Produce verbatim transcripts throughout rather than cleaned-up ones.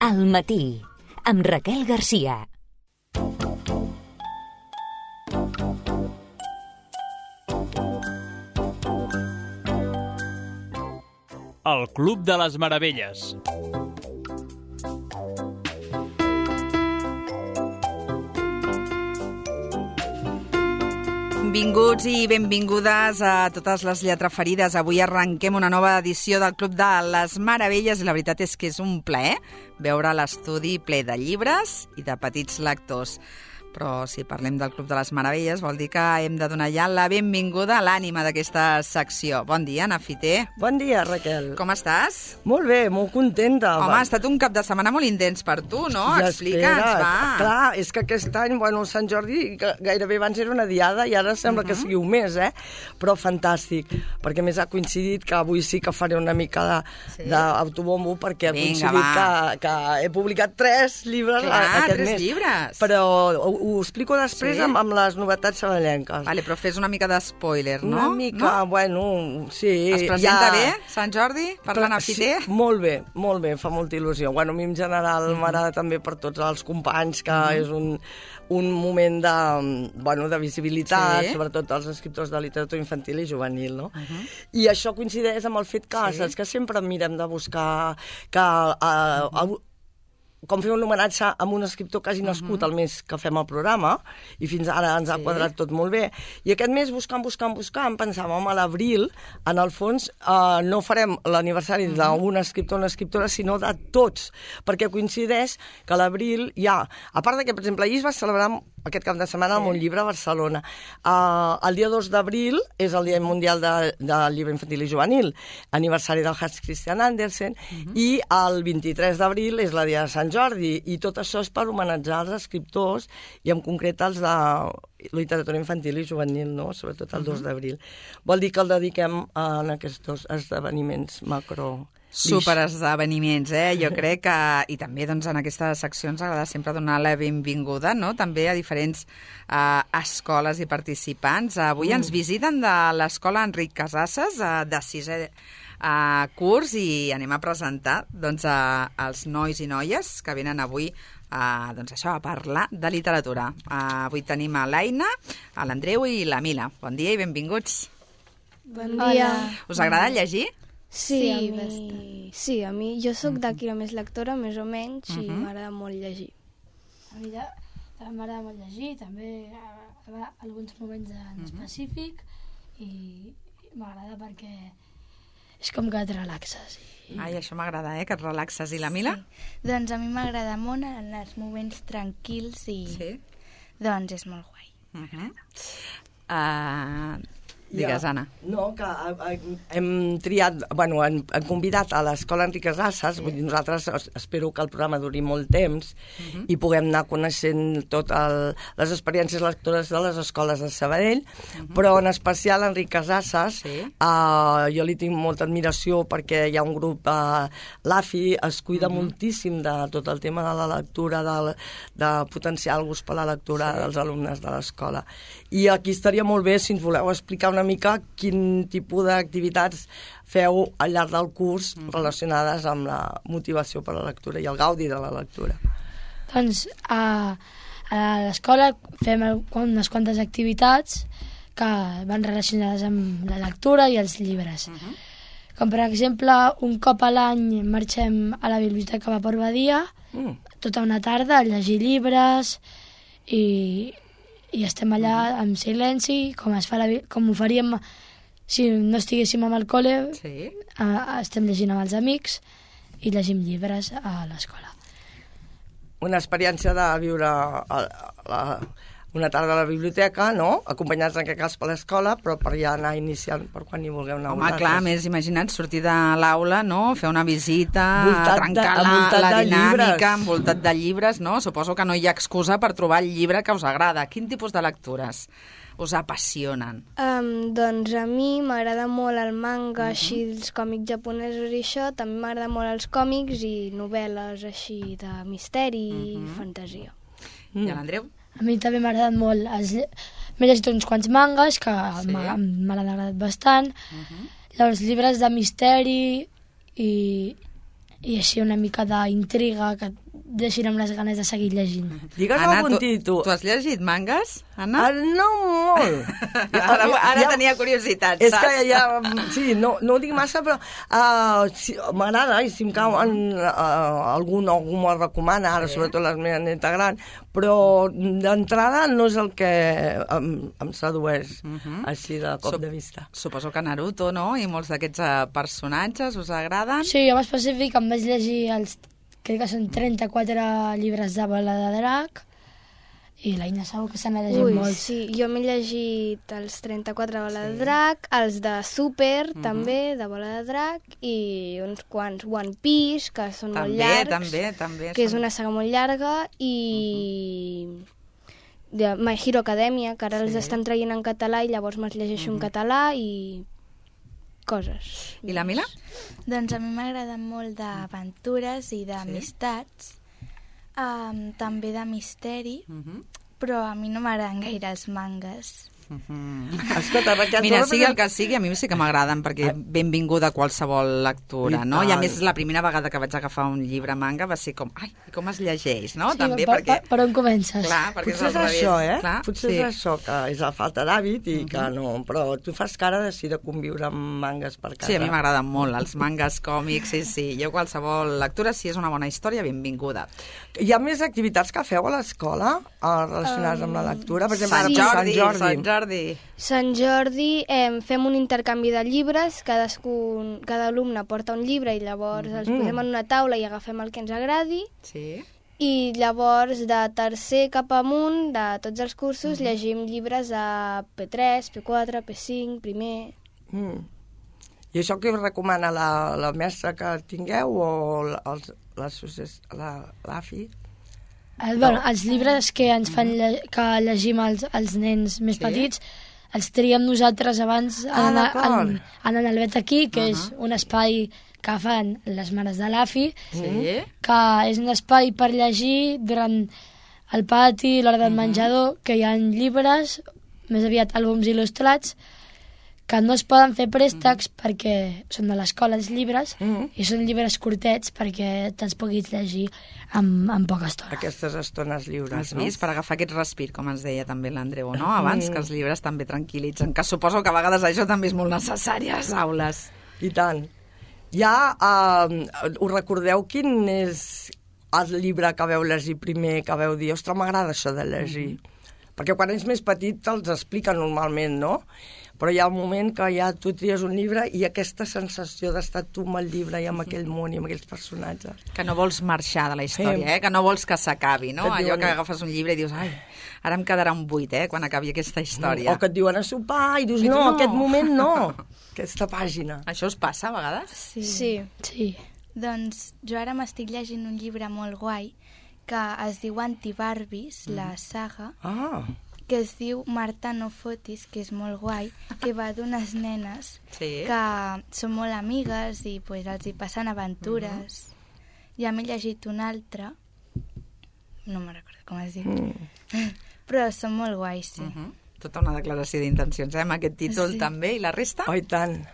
Al matí, amb Raquel Garcia. El Club de les Meravelles. Benvinguts i benvingudes a totes les lletraferides. Avui arrenquem una nova edició del Club de les Meravelles i la veritat és que és un plaer veure l'estudi ple de llibres i de petits lectors. Però si parlem del Club de les Meravelles vol dir que hem de donar ja la benvinguda a l'ànima d'aquesta secció. Bon dia, Ana Fiter. Bon dia, Raquel. Com estàs? Molt bé, molt contenta. Home, ha estat un cap de setmana molt intens per tu, no? Ja Explica'ns, espera. va. Clar, és que aquest any, bueno, Sant Jordi gairebé abans era una diada i ara sembla uh -huh. que sigui un mes, eh? Però fantàstic, perquè més ha coincidit que avui sí que faré una mica d'autobombo, sí. perquè ha Vinga, coincidit que, que he publicat tres llibres Clar, aquest tres mes. llibres. Però ho explico després Sí? amb, amb les novetats sabadellenques. Vale, però fes una mica d'espoiler, no? Una mica, no? bueno, sí. Es presenta ja... bé, Sant Jordi, parlant a Fiter? Sí, molt bé, molt bé, fa molta il·lusió. Bueno, a mi en general mm. m'agrada també per tots els companys, que mm. és un, un moment de, bueno, de visibilitat, sí. sobretot els escriptors de literatura infantil i juvenil, no? Uh -huh. I això coincideix amb el fet que, sí. saps, que sempre mirem de buscar que... Uh, uh, com fer un homenatge a un escriptor que hagi nascut uh -huh. el mes que fem el programa, i fins ara ens ha sí. quadrat tot molt bé. I aquest mes, buscant, buscant, buscant, pensàvem a l'abril, en el fons, eh, no farem l'aniversari uh -huh. d'un escriptor o una escriptora, sinó de tots, perquè coincideix que a l'abril hi ha, a part de que, per exemple, ahir es va celebrar aquest cap de setmana sí. amb un llibre a Barcelona. Uh, el dia dos d'abril és el Dia Mundial de, del Llibre Infantil i Juvenil, aniversari del Hans Christian Andersen, uh -huh. i el vint-i-tres d'abril és la Dia de Sant Jordi, i tot això és per homenatjar els escriptors, i en concret els de literatura infantil i juvenil, no? Sobretot el uh -huh. dos d'abril. Vol dir que el dediquem a aquests dos esdeveniments macro... Superesdeveniments, eh? Jo crec que... I també, doncs, en aquestes seccions agrada sempre donar la benvinguda, no?, també a diferents eh, escoles i participants. Avui mm. ens visiten de l'escola Enric Casasses, eh, de sisè eh, curs, i anem a presentar, doncs, a, als nois i noies que venen avui Uh, doncs això, a parlar de literatura. Uh, avui tenim a l'Aina, a l'Andreu i la Mila. Bon dia i benvinguts. Bon dia. Us agrada llegir? Sí, sí, a mi, sí, a mi jo sóc d'aquí la més lectora, més o menys, uh -huh. i m'agrada molt llegir. A mi també m'agrada molt llegir, també a, a, a alguns moments en uh -huh. específic, i m'agrada perquè és com que et relaxes. I... Ai, això m'agrada, eh, que et relaxes. I la Mila? Sí. Doncs a mi m'agrada molt en els moments tranquils i sí? doncs és molt guai. Uh -huh. uh, digues, ja. Anna. No, que hem triat, bueno, hem, hem convidat a l'Escola Enric Casasses, sí. vull dir, nosaltres espero que el programa duri molt temps uh -huh. i puguem anar coneixent totes les experiències lectores de les escoles de Sabadell, uh -huh. però en especial Enric Casasses, sí. uh, jo li tinc molta admiració perquè hi ha un grup, uh, l'A F I es cuida uh -huh. moltíssim de tot el tema de la lectura, de, de potenciar el gust per la lectura sí. dels alumnes de l'escola. I aquí estaria molt bé si ens voleu explicar una una mica quin tipus d'activitats feu al llarg del curs mm. relacionades amb la motivació per la lectura i el gaudi de la lectura. Doncs a, a l'escola fem unes quantes activitats que van relacionades amb la lectura i els llibres. Mm-hmm. Com per exemple, un cop a l'any marxem a la Biblioteca Vapor Badia, mm. tota una tarda a llegir llibres i... i estem allà en silenci, com es fa la, com ho faríem si no estiguéssim amb el col·le, sí. uh, estem llegint amb els amics i llegim llibres a l'escola. Una experiència de viure a, a la, una tarda a la biblioteca, no?, acompanyats en aquest cas per l'escola, però per ja anar iniciant per quan hi vulgueu anar. Home, clar, més imagina't sortir de l'aula, no?, fer una visita, voltat trencar de, la, la dinàmica, llibres. envoltat de llibres, no? Suposo que no hi ha excusa per trobar el llibre que us agrada. Quin tipus de lectures us apassionen? Um, doncs a mi m'agrada molt el manga, uh -huh. així, els còmics japonesos i això. També m'agrada molt els còmics i novel·les així de misteri uh -huh. i fantasia. Mm. I l'Andreu? A mi també m'ha agradat molt. M'he llegit uns quants mangas que sí. m'han agradat bastant. Uh -huh. Els llibres de misteri i, i així una mica d'intriga que et deixin amb les ganes de seguir llegint. Digues Anna, algun tu, títol. tu has llegit mangas, Anna? Ah, no molt. Ara, ara Ja- tenia curiositat, És saps? que ja... Sí, no, no ho dic massa, però uh, sí, m'agrada, i si em cau en, uh, algun, algú m'ho recomana, ara, sí. Sobretot la meva neta gran, però d'entrada no és el que em, em sedueix, uh -huh. així de cop Sup- de vista. Suposo que Naruto, no? I molts d'aquests uh, personatges us agraden? Sí, jo en específic em vaig llegir els, crec que són trenta-quatre llibres de Bola de Drac, i l'Aina segur que se n'ha llegit Ui, molt. sí, jo m'he llegit els trenta-quatre Bola de Drac, els de Super, Mhm. també, de Bola de Drac, i uns quants One Piece, que són També, molt llargs, també, també. que és són- una saga molt llarga, i de My Hero Academia, que ara Sí. els estan traient en català, i llavors me'ls llegeixo en català, i coses. I la Mila? Doncs a mi m'agraden molt d'aventures i d'amistats, um, també de misteri, Uh -huh. però a mi no m'agraden gaire els mangas. Escolta, perquè Mira, tu sigui el que sigui, a mi sí que m'agraden, perquè benvinguda a qualsevol lectura, I no? I a tant. més, la primera vegada que vaig agafar un llibre manga va ser com, ai, com es llegeix, no? Sí, També per, perquè... per, per on comences? Clar, perquè Potser és al revés. això, eh? Clar, Potser sí. és això, que és la falta d'hàbit i que no... Però tu fas cara de, sí, de conviure amb mangas per casa. Sí, a mi m'agraden molt, els mangas, còmics, sí, sí. Jo qualsevol lectura, si és una bona història, benvinguda. Hi ha més activitats que feu a l'escola eh, relacionades amb la lectura? Per exemple, Sant ara per Jordi, Sant Jordi. Sant Jordi. Sant Jordi eh, fem un intercanvi de llibres, cadascun, cada alumne porta un llibre i llavors els Mm. posem en una taula i agafem el que ens agradi, Sí. i llavors de tercer cap amunt de tots els cursos llegim llibres a P tres, P quatre, P cinc, primer... Mm. I això què us recomana la, la mestra que tingueu o la- els- l'associació- la- l'AFI? El, bueno, els llibres que ens fan lle que llegim els, els nens més Sí. petits els triem nosaltres abans Ah, en, d'acord. en, en el Vet aquí, que és un espai que fan les mares de l'AFI, Sí. que és un espai per llegir durant el pati, l'hora del menjador, que hi ha llibres, més aviat àlbums il·lustrats, que no es poden fer préstecs perquè són de l'escola els llibres, Mhm. i són llibres curtets perquè te'ls puguis llegir en, en poca estona. Aquestes estones lliures, Has no? vist? Per agafar aquest respir, com ens deia també l'Andreu, no? Abans, que els llibres també tranquil·litzen, que suposo que a vegades això també és molt necessari a les aules. I tant. Ja, uh, us recordeu quin és el llibre que veu llegir primer, que veu dir, ostres, m'agrada això de llegir? Mm-hmm. Perquè quan ets més petit te'ls explica normalment, no? Però hi ha un moment que ja tu tries un llibre i aquesta sensació d'estar tu amb el llibre i amb aquell món i amb aquells personatges. Que no vols marxar de la història, Sí. eh? Que no vols que s'acabi, no? Que et Allò diuen- que agafes un llibre i dius, ai, ara em quedarà un buit, eh? Quan acabi aquesta història. O que et diuen a sopar i dius, I tu no, no. aquest moment no, aquesta pàgina. Això us passa a vegades? Sí. Sí. Sí. Doncs jo ara m'estic llegint un llibre molt guai que es diu Antibarbies, la saga, Ah, que es diu Marta no fotis, que és molt guai, que va d'unes nenes Sí. que són molt amigues i pues, els hi passen aventures. Ja m'he llegit un altre, no me'n recordo com es diu, mm. però són molt guais, sí. Uh -huh. Tota una declaració d'intencions, eh? Amb aquest títol Sí. també. I la resta? Oh, i tant.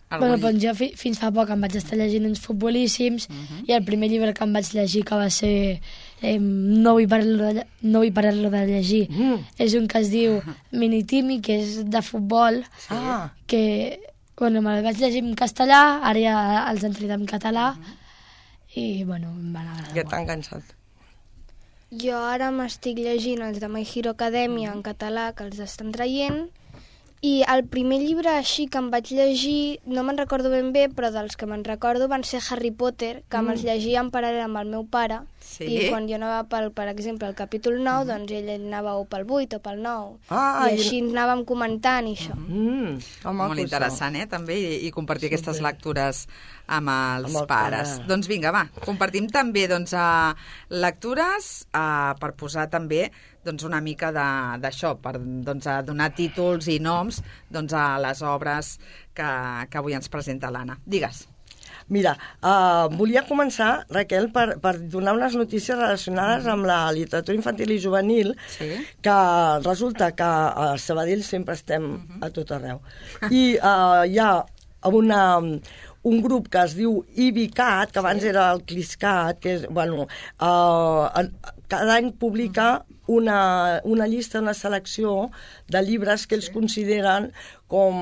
Algun Bueno, lli- doncs jo fi, fins fa poc em vaig estar llegint uns futbolíssims, i el primer llibre que em vaig llegir, que va ser eh, no, vull parar-lo de, lle- no vull parar-lo de llegir, Mm. és un que es diu Minitimi, que és de futbol, Ah, que bueno, me'l vaig llegir en castellà, ara ja els han tret en català, i bueno, em van agradar que molt. t'ha enganxat. Jo ara m'estic llegint els de My Hero Academia en català, que els estan traient, i el primer llibre així que em vaig llegir, no me'n recordo ben bé, però dels que me'n recordo van ser Harry Potter, que me'ls llegia en paral·lel amb el meu pare, Sí. i quan jo anava, pel, per exemple, al capítol nou, doncs ell anava o pel vuit o pel nou, Ah, i i- així anàvem comentant i això. Mm, que maco, Molt interessant, eh? També, i, i compartir aquestes lectures amb els Amb el pares. pare. Doncs vinga, va, compartim també doncs, a lectures a, per posar també doncs, una mica de- d'això, per doncs, a donar títols i noms doncs, a les obres que, que avui ens presenta l'Anna. Digues. Mira, uh, volia començar, Raquel, per, per donar unes notícies relacionades amb la literatura infantil i juvenil, Sí. que resulta que a Sabadell sempre estem a tot arreu. I uh, hi ha una, un grup que es diu IBICAT, que abans era el CLISCAT, que és, bueno, uh, cada any publica una, una llista, una selecció de llibres que ells sí. consideren com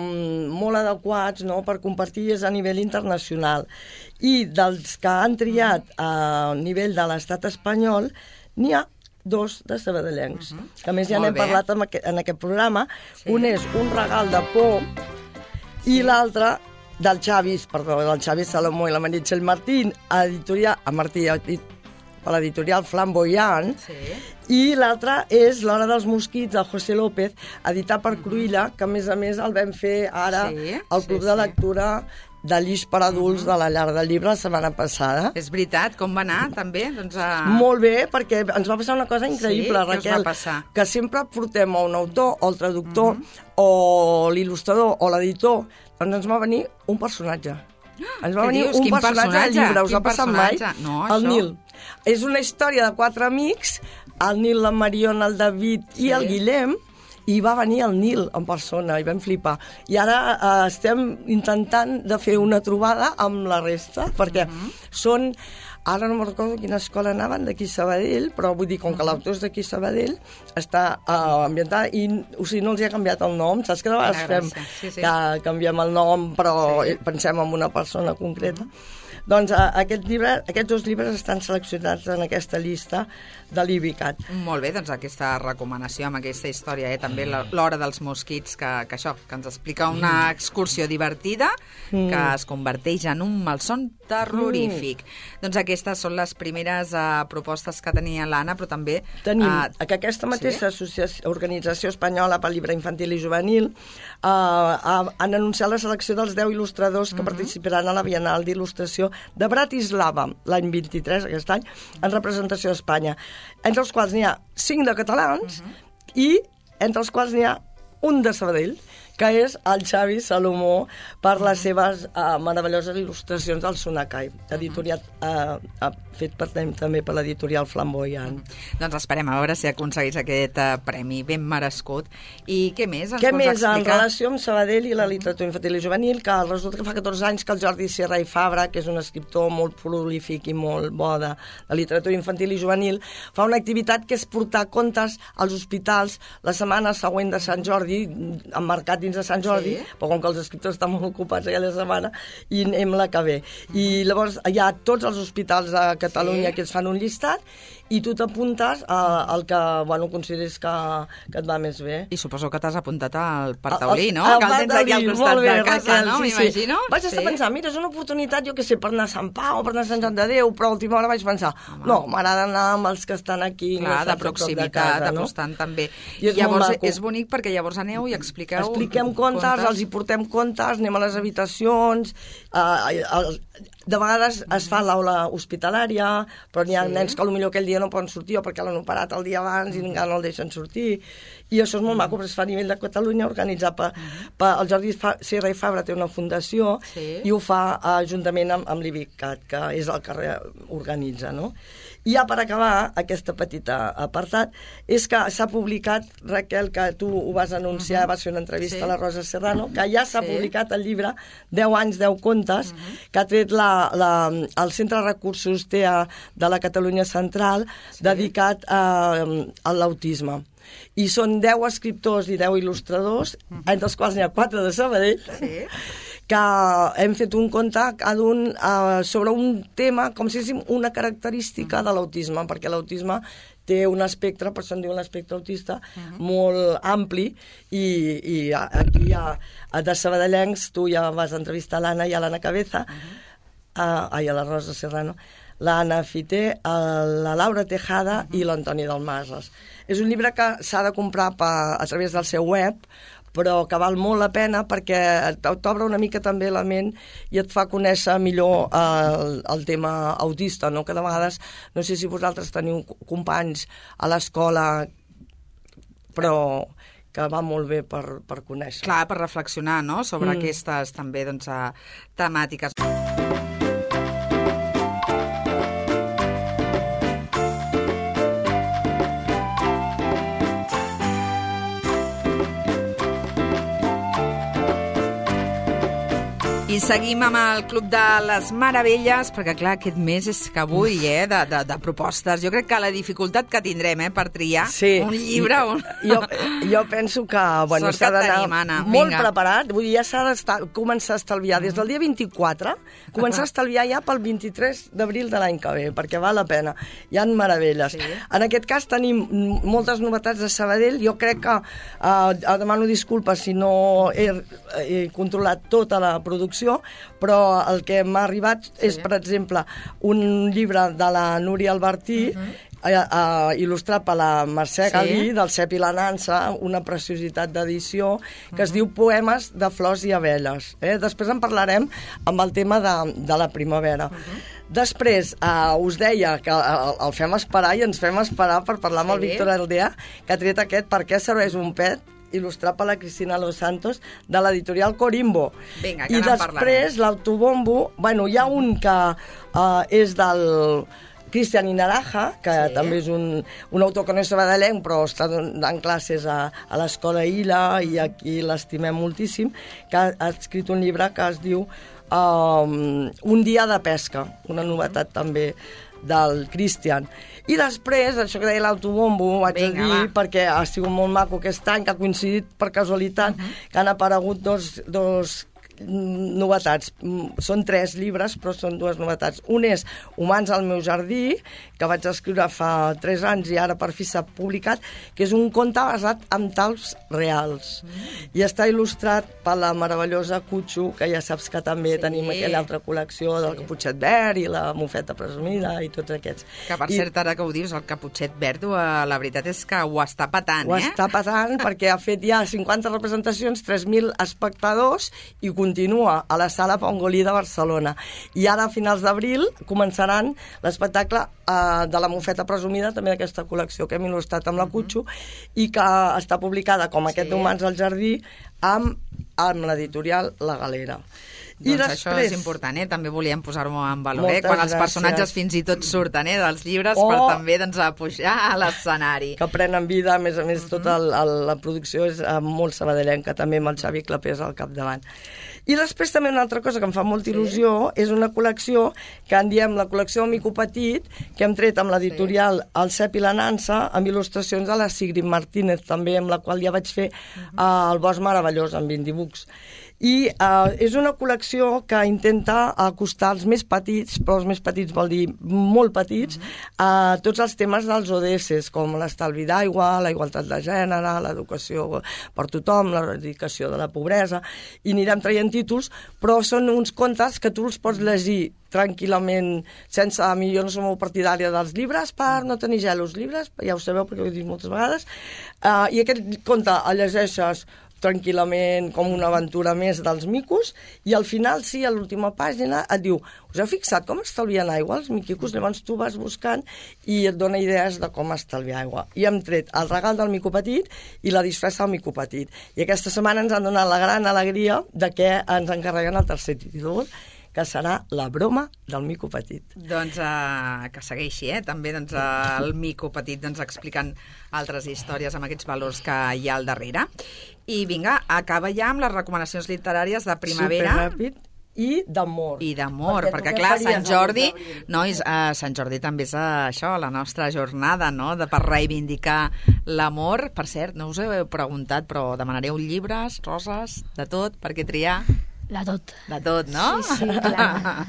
molt adequats, no?, per compartir a nivell internacional. I dels que han triat a nivell de l'estat espanyol, n'hi ha dos de sabadellencs, uh -huh. que a més ja n'hem parlat en aquest, en aquest programa. Sí. Un és Un regal de por sí. i l'altre del Xavi, perdó, del Xavi Salomó i la Meritxell Martín, editorial, a Martí, per l'editorial Flamboyant, sí. i l'altre és L'hora dels mosquits, de José López, editat per Cruïlla, que a més a més el vam fer ara sí, al Club sí, de Lectura de Lliç per adults uh -huh. de la Llar del Llibre la setmana passada. És veritat, com va anar també? Doncs, uh... Molt bé, perquè ens va passar una cosa increïble, sí? Raquel, Què us va passar? Que sempre portem a un autor o el traductor uh -huh. o l'il·lustrador o l'editor, doncs ens va venir un personatge. Ens va Què venir dius? un Quin personatge, personatge al llibre, us Quin ha passat mai? No, el això... Nil. És una història de quatre amics, el Nil, la Mariona, el David sí. i el Guillem, i va venir el Nil en persona, i vam flipar. I ara eh, estem intentant de fer una trobada amb la resta, perquè uh -huh. són... Ara no me'n recordo quina escola anaven, d'aquí Sabadell, però vull dir, com que l'autor és d'aquí Sabadell, està uh, ambientada, i o sigui, no els hi ha canviat el nom, saps que de vegades fem sí, sí. que canviem el nom, però sí. pensem en una persona concreta. Uh -huh. Doncs uh, aquest llibre, aquests dos llibres estan seleccionats en aquesta llista de l'IBICAT. Molt bé, doncs aquesta recomanació amb aquesta història, eh? També L'hora dels mosquits, que, que això, que ens explica una excursió divertida mm. que es converteix en un malson terrorífic. Mm. Doncs aquestes són les primeres uh, propostes que tenia l'Anna, però també... Tenim uh, que aquesta mateixa sí? associació, organització espanyola pel llibre infantil i juvenil uh, uh, han anunciat la selecció dels deu il·lustradors que mm -hmm. participaran a la Bienal d'Il·lustració de Bratislava l'any vint-i-tres, aquest any, en representació d'Espanya, entre els quals n'hi ha cinc de catalans uh -huh. i entre els quals n'hi ha un de Sabadell, que és el Xavi Salomó, per les seves uh, meravelloses il·lustracions del Sonacai, editorial uh, uh, fet per, també per l'editorial Flamboyant. Doncs esperem a veure si aconseguís aquest uh, premi ben merescut. I què més ens què pots més, explicar? En relació amb Sabadell i la literatura infantil i juvenil, que resulta que fa catorze anys que el Jordi Sierra i Fabra, que és un escriptor molt prolífic i molt bo de la literatura infantil i juvenil, fa una activitat que és portar contes als hospitals la setmana següent de Sant Jordi, emmarcat dins de Sant Jordi, sí. però com que els escriptors estan molt ocupats aquella setmana, i anem la que ve. Uh -huh. I llavors hi ha tots els hospitals de Catalunya sí. que es fan un llistat, i tu t'apuntes al que, bueno, consideris que, que et va més bé. I suposo que t'has apuntat al Partaulí, no? El, el, que el tens aquí al costat bé, de casa, Raquel, no? Sí, m'imagino. Sí. Vaig estar sí. pensant, mira, és una oportunitat, jo què sé, per anar a Sant Pau o per anar a Sant Joan de Déu, però a última hora vaig pensar, Home. no, m'agrada anar amb els que estan aquí. Clar, no de proximitat, de apostant no? també. I, I llavors és bonic perquè llavors aneu i expliqueu... Expliquem contes, contes, els hi portem contes, anem a les habitacions, eh, el, de vegades es fa l'aula hospitalària, però n'hi ha sí. nens que potser aquell dia no poden sortir o perquè l'han operat el dia abans i encara no el deixen sortir. I això és molt maco, però es fa a nivell de Catalunya, organitzat per, per el Jordi Sierra i Fabra té una fundació sí. i ho fa uh, juntament amb, amb l'IBICAT, que és el que organitza, no? I ja per acabar aquesta petita apartat, és que s'ha publicat, Raquel, que tu ho vas anunciar, uh -huh. vas fer una entrevista sí. a la Rosa Serrano, que ja s'ha sí. publicat el llibre deu anys, deu contes, uh -huh. que ha tret la, la, el Centre de Recursos T E A de la Catalunya Central, sí. dedicat a, a l'autisme. I són deu escriptors i deu il·lustradors, uh -huh. entre els quals n'hi ha quatre de Sabadell, sí. que hem fet un conte cada un uh, sobre un tema, com si diguéssim una característica de l'autisme, perquè l'autisme té un espectre, per això en diu un espectre autista, uh-huh. molt ampli, i, i aquí hi ha de sabadellencs, tu ja vas entrevistar l'Anna i a l'Anna Cabeza, uh-huh. uh, ai, a la Rosa Serrano, l'Anna Fité, la Laura Tejada uh-huh. i l'Antoni Dalmases. És un llibre que s'ha de comprar pa, a través del seu web, però que val molt la pena perquè t'obre una mica també la ment i et fa conèixer millor el, el tema autista, no? Que de vegades, no sé si vosaltres teniu companys a l'escola, però que va molt bé per, per conèixer. Clar, per reflexionar, no?, sobre mm. aquestes també, doncs, temàtiques. I I seguim amb el Club de les Meravelles, perquè, clar, aquest mes és que avui, eh, de, de, de propostes. Jo crec que la dificultat que tindrem, eh, per triar sí. un llibre... Un... Jo, jo penso que, bueno, s'ha d'anar molt Vinga. preparat. Vull dir, ja s'ha de començar a estalviar des del dia vint-i-quatre, començar a estalviar ja pel vint-i-tres d'abril de l'any que ve, perquè val la pena. Hi ha meravelles. Sí. En aquest cas tenim moltes novetats de Sabadell. Jo crec que, eh, demano disculpes si no he, he controlat tota la producció, però el que m'ha arribat sí. és, per exemple, un llibre de la Núria Albertí, uh -huh. eh, eh, il·lustrat per la Mercè sí. Galí, del Cep i la Nansa, una preciositat d'edició, que uh -huh. es diu Poemes de flors i abelles. Eh? Després en parlarem amb el tema de, de la primavera. Uh -huh. Després, eh, us deia que el, el fem esperar i ens fem esperar per parlar sí. amb el Víctor Aldea, que ha tret aquest Per què serveix un pet, il·lustrat per la Cristina Los Santos, de l'editorial Corimbo. Vinga, que I després, l'autobombo, bueno, hi ha un que uh, és del Cristian Inaraja, que sí. també és un, un autor que no és sabadellenc, però està donant classes a, a l'escola Ila, i aquí l'estimem moltíssim, que ha, ha escrit un llibre que es diu um, Un dia de pesca, una novetat també del Cristian. I després, això que deia l'autobombo, ho vaig Vinga, a dir, va. perquè ha sigut molt maco aquest any, que ha coincidit per casualitat, uh -huh. que han aparegut dos, dos novetats. Són tres llibres, però són dues novetats. Un és Humans al meu jardí, que vaig escriure fa tres anys i ara per fi s'ha publicat, que és un conte basat en talps reals. Mm. I està il·lustrat per la meravellosa Cutxo, que ja saps que també sí. tenim aquella altra col·lecció del sí. Caputxet Verd i la Mofeta Presumida i tots aquests. Que per I... cert, ara que ho dius, el Caputxet Verd, la veritat és que ho està patant, ho eh? Ho està patant perquè ha fet ja cinquanta representacions, tres mil espectadors i continua a la Sala Pongolí de Barcelona. I ara, a finals d'abril, començaran l'espectacle eh, de la Mofeta Presumida, també d'aquesta col·lecció que hem il·lustrat amb la Cutxo, i que està publicada com aquest sí. d'Humans al jardí amb, amb l'editorial La Galera. Doncs I després... això és important, eh? També volíem posar-ho en valor, eh? Quan els gràcies. personatges fins i tot surten eh? dels llibres oh, per també doncs, a pujar a l'escenari. Que prenen vida, a més a més, uh -huh. tota el, el, la producció és uh, molt sabadellenca, també amb el Xavi Clapés al capdavant. I després també una altra cosa que em fa molta il·lusió sí. és una col·lecció que en diem la col·lecció Mico Petit, que hem tret amb l'editorial sí. El Cep i la Nansa, amb il·lustracions de la Sigrid Martínez, també, amb la qual ja vaig fer uh -huh. uh, El Bosc Meravellós, amb Indibucs. I uh, és una col·lecció que intenta acostar els més petits, però els més petits vol dir molt petits, a uh, tots els temes dels O D S, com l'estalvi d'aigua, la igualtat de gènere, l'educació per tothom, l'eradicació de la pobresa, i anirem traient títols, però són uns contes que tu els pots llegir tranquil·lament, sense... A mi jo no som molt partidària dels llibres per no tenir gelos. Llibres, ja ho sabeu perquè ho he dit moltes vegades, uh, i aquest conte el llegeixes tranquil·lament, com una aventura més dels micos, i al final, sí, a l'última pàgina et diu, us heu fixat com estalvien aigua els miquicos? Llavors tu vas buscant i et dona idees de com estalviar aigua. I hem tret el regal del mico petit i la disfressa del mico petit. I aquesta setmana ens han donat la gran alegria de que ens encarreguen el tercer títol, que serà La broma del mico petit. Doncs uh, que segueixi, eh? També doncs, uh, el mico petit doncs, explicant altres històries amb aquests valors que hi ha al darrere. I vinga, acaba ja amb les recomanacions literàries de primavera. Superràpid. I d'amor. I d'amor, perquè, perquè clar, Sant Jordi, no, és, uh, Sant Jordi també és uh, això, la nostra jornada, no?, de, per reivindicar l'amor. Per cert, no us heu preguntat, però demanareu llibres, roses, de tot, per què triar? De tot. De tot, no? Sí, sí, clar.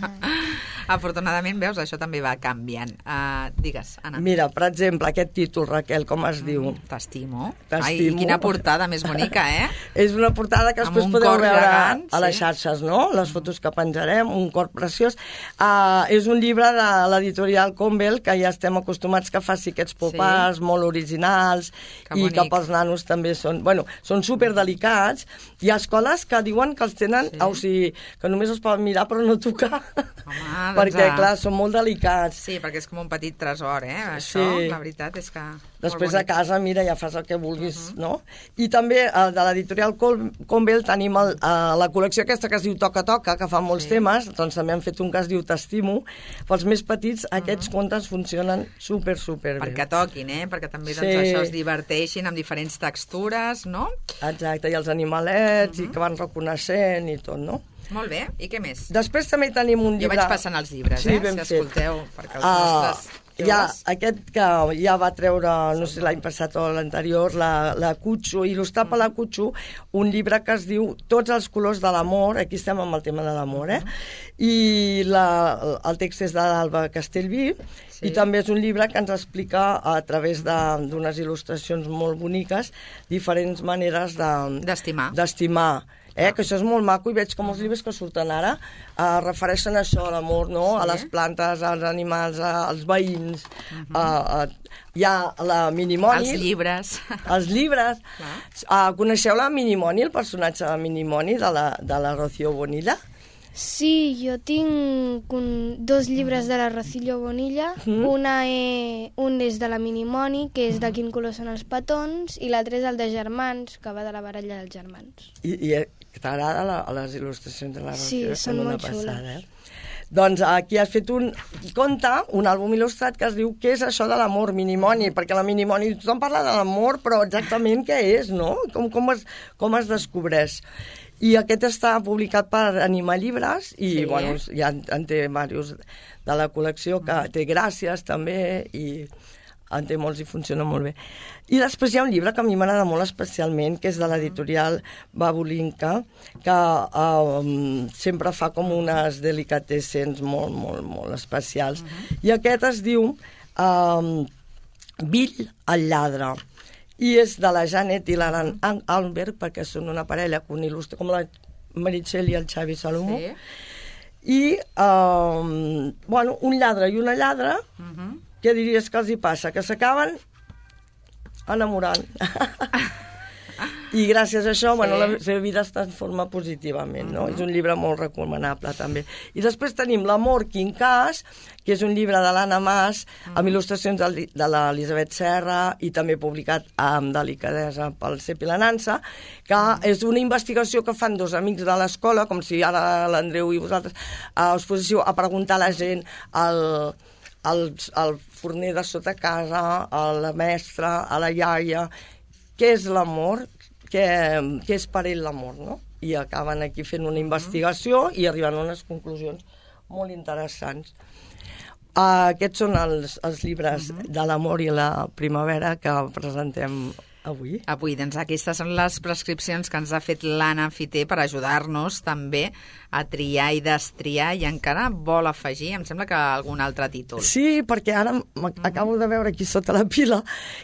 Afortunadament, veus, això també va canviant. Uh, digues, Anna. Mira, per exemple, aquest títol, Raquel, com es mm, diu? T'estimo. T'estimo. Ai, quina portada més bonica, eh? És una portada que amb després podeu veure gegant, a les sí. xarxes, no? Les fotos que penjarem, un cor preciós. Uh, és un llibre de l'editorial Convel, que ja estem acostumats que faci aquests popars sí. molt originals que i que pels nanos també són... Bueno, són superdelicats. Hi ha escoles que diuen que els tenen... Sí. O sigui, que només els poden mirar però no tocar. Home, perquè, clar, són molt delicats. Sí, perquè és com un petit tresor, eh? Això, sí. La veritat és que... Després a casa, mira, ja fas el que vulguis, uh -huh. no? I també uh, de l'editorial Convel tenim el, uh, la col·lecció aquesta que es diu Toca Toca, que fa molts sí. temes, doncs també han fet un que es diu T'estimo. Pels més petits, uh -huh. aquests contes funcionen super, super bé. Perquè toquin, eh? Perquè també doncs, sí. això es diverteixin amb diferents textures, no? Exacte, i els animalets, uh -huh. i que van reconeixent i tot, no? Molt bé, i què més? Després també tenim un llibre... Jo vaig passant els llibres, sí, eh? ben Si fet. escolteu, perquè els Ah, nostres... ja, aquest que ja va treure, no sé, l'any passat o l'anterior, la, la Cutxo, il·lustrat per la Cutxo, un llibre que es diu Tots els colors de l'amor, aquí estem amb el tema de l'amor, eh? I la, el text és de l'Alba Castellví, sí. I també és un llibre que ens explica a través d'unes il·lustracions molt boniques diferents maneres de, d'estimar. d'estimar. Eh, que això és molt maco, i veig com els llibres que surten ara eh, refereixen a això, a l'amor, no? Sí. A les plantes, als animals, a, als veïns. Uh -huh. a, a, hi ha la Minimoni. Els llibres. Els llibres. Uh, coneixeu la Minimoni, el personatge de Minimoni, de la, de la Rocío Bonilla? Sí, jo tinc un, dos llibres de la Rocío Bonilla. Mm. Una és, un és de la Minimoni, que és de quin color són els petons, i l'altre és el de germans, que va de la baralla dels germans. I, i t'agrada les il·lustracions de la Rocío? Sí, són molt xules. Eh? Doncs aquí has fet un conte, un àlbum il·lustrat que es diu Què és això de l'amor, Minimoni? Perquè la Minimoni, tothom parla de l'amor, però exactament què és, no? Com, com, es, com es descobreix? I aquest està publicat per Anima Llibres i, sí. bueno, ja en, en té diversos de la col·lecció, que té Gràcies també, i en té molts i funciona molt bé. I després hi ha un llibre que a mi m'agrada molt especialment, que és de l'editorial Babulinka, que um, sempre fa com unes delicatessens molt, molt, molt especials. Uh-huh. I aquest es diu um, Bill el lladre. I és de la Janet i l'Aran Alberg, perquè són una parella que un il·lustra, com la Meritxell i el Xavi Salomó. Sí. I, um, bueno, un lladre i una lladra, uh-huh. Què diries que els hi passa? Que s'acaben enamorant. I gràcies a això, sí. bueno, la seva vida es transforma positivament, no? Uh-huh. És un llibre molt recomanable, també. I després tenim L'amor quincàs, que és un llibre de l'Anna Mas, uh-huh. amb il·lustracions de l'Elisabet Serra, i també publicat amb delicadesa pel Cep i la Nansa, que uh-huh. és una investigació que fan dos amics de l'escola, com si ara l'Andreu i vosaltres, a exposició, a preguntar a la gent el... Al, al forner de sota casa, a la mestra, a la iaia, què és l'amor, què, què és per ell l'amor, no? I acaben aquí fent una investigació i arriben a unes conclusions molt interessants. Uh, aquests són els, els llibres uh-huh. de l'amor i la primavera que presentem avui. Avui, doncs aquestes són les prescripcions que ens ha fet l'Anna Fiter per ajudar-nos també a triar i destriar, i encara vol afegir, em sembla que algun altre títol. Sí, perquè ara acabo de veure aquí sota la pila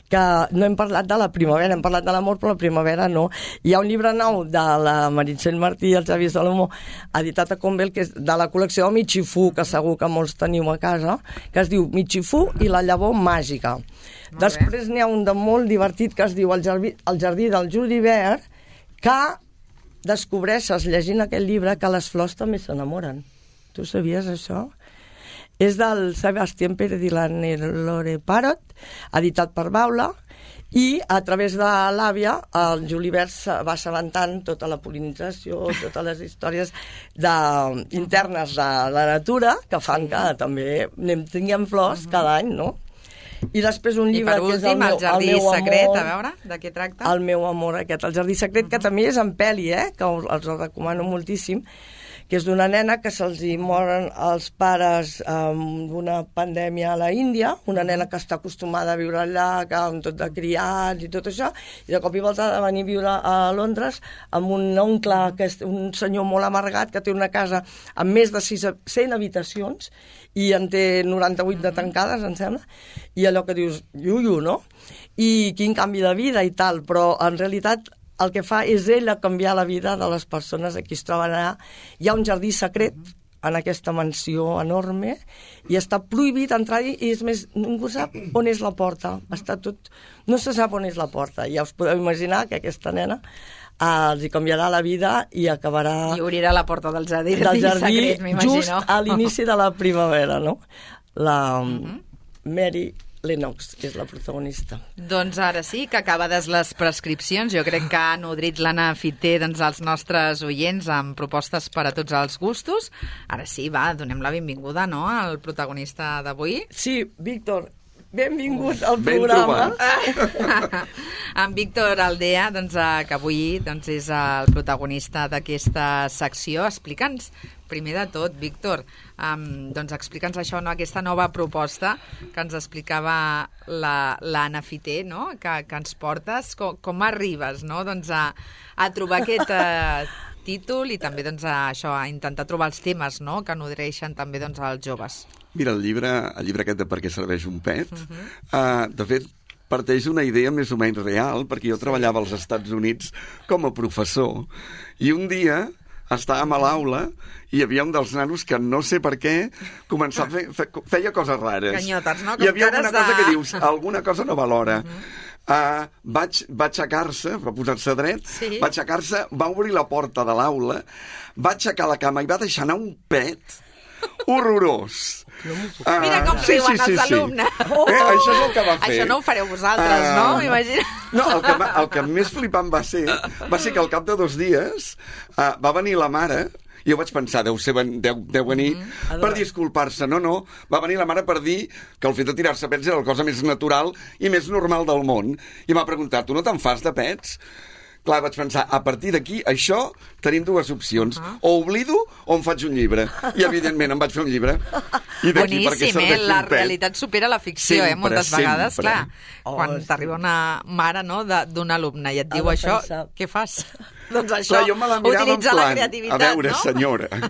que no hem parlat de la primavera, hem parlat de l'amor, però la primavera no. Hi ha un llibre nou de la Meritxell Martí i el Xavi Salomó, editat a Convel, que és de la col·lecció Michifú, que segur que molts teniu a casa, que es diu Michifú i la llavor màgica. Molt Després n'hi ha un de molt divertit que es diu El jardí, el jardí del julivert, que descobreixes llegint aquest llibre que les flors també s'enamoren. Tu sabies això? És del Sebastián Pérez i la Lore Parot, editat per Baula, i a través de l'àvia el julivert va assabentant tota la polinització, totes les històries de, internes de la natura que fan que també tinguem flors cada any, no? I després un llibre últim, que és el meu, el Jardí el meu Secret, amor, a veure, de què tracta? El meu amor aquest, el Jardí Secret, que també és en pel·li, eh? Que us, els el recomano moltíssim, que és d'una nena que se'ls hi moren els pares amb una pandèmia a la Índia, una nena que està acostumada a viure allà, que amb tot de criats i tot això, i de cop i volta ha de venir a viure a Londres amb un oncle, que és un senyor molt amargat, que té una casa amb més de cent habitacions, i en té noranta-vuit de tancades, em sembla, i allò que dius, iuiu, no? I quin canvi de vida i tal, però en realitat el que fa és ell a canviar la vida de les persones a qui es troben allà. Hi ha un jardí secret en aquesta mansió enorme i està prohibit entrar-hi, i és més, ningú sap on és la porta. Està tot... No se sap on és la porta. Ja us podeu imaginar que aquesta nena eh, els hi canviarà la vida i acabarà... I obrirà la porta del jardí, del jardí secret, m'imagino. Just a l'inici de la primavera, no? La uh-huh. Mary Lennox és la protagonista. Doncs ara sí, que acabades les prescripcions. Jo crec que ha nodrit l'Anna Fiter, doncs, els nostres oients amb propostes per a tots els gustos. Ara sí, va, donem la benvinguda, no?, al protagonista d'avui. Sí, Víctor, benvingut al Ben programa. En Víctor Aldea, doncs, eh, que avui doncs, és el protagonista d'aquesta secció. Explica'ns, primer de tot, Víctor, um, doncs explica'ns això, no? Aquesta nova proposta que ens explicava la, l'Anna Fiter, no? que, que ens portes. Com, com arribes, no? doncs, a, a trobar aquest uh, títol i també doncs, a, això, a intentar trobar els temes, no? que nodreixen també doncs, als joves? Mira, el llibre, el llibre aquest de Per què serveix un pet, uh-huh. uh, de fet, parteix d'una idea més o menys real, perquè jo treballava als Estats Units com a professor, i un dia estàvem a l'aula i hi havia un dels nanos que no sé per què començava a fer, fe, feia coses rares. Ganyotes, no? Com hi havia alguna de... cosa que dius, alguna cosa no va a l'hora. Uh-huh. Uh, vaig, va aixecar-se, va posar-se dret, sí. va aixecar-se, va obrir la porta de l'aula, va aixecar la cama i va deixar anar un pet horrorós. Uh, Mira com sí, riuen sí, sí, els alumnes. Sí. Oh! Eh, això és el que va fer. Això no ho fareu vosaltres, uh, no? M'imagino. No, el que, el que més flipant va ser va ser que al cap de dos dies uh, va venir la mare i jo vaig pensar, deu, ser, deu, deu venir mm-hmm. per disculpar-se. No, no, va venir la mare per dir que el fet de tirar-se pets era la cosa més natural i més normal del món. I m'ha preguntat, tu no te'n fas de pets? Clar, vaig pensar, a partir d'aquí, això, tenim dues opcions. Uh-huh. O oblido o em faig un llibre. I, evidentment, em vaig fer un llibre. I boníssim, eh? La realitat supera la ficció, sempre, eh? Moltes sempre. vegades, clar. Oh, quan sí. t'arriba una mare, no?, d'un alumne i et diu això, pensar. Què fas? Doncs això, clar, jo me la mirava utilitza en plan, la creativitat, a veure, no? senyora...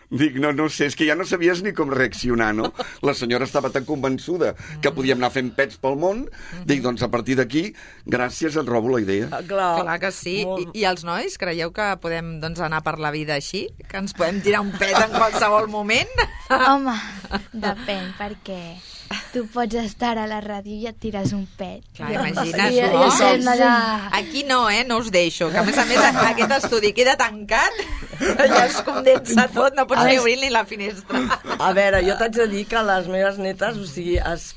Dic, no, no sé, és que ja no sabies ni com reaccionar, no? La senyora estava tan convençuda que podíem anar fent pets pel món. Dic, doncs a partir d'aquí, gràcies, et robo la idea. Ah, clar. clar que sí. I, I els nois, creieu que podem doncs, anar per la vida així? Que ens podem tirar un pet en qualsevol moment? Home, depèn, perquè tu pots estar a la ràdio i et tires un pet. Clar, imagina't, sí, no? Sí, sí. Aquí no, eh? No us deixo. Que a més a més aquest estudi queda tancat i es condensa tot, no pots ni obrir ni la finestra. A veure, jo t'haig de dir que les meves netes, o sigui, es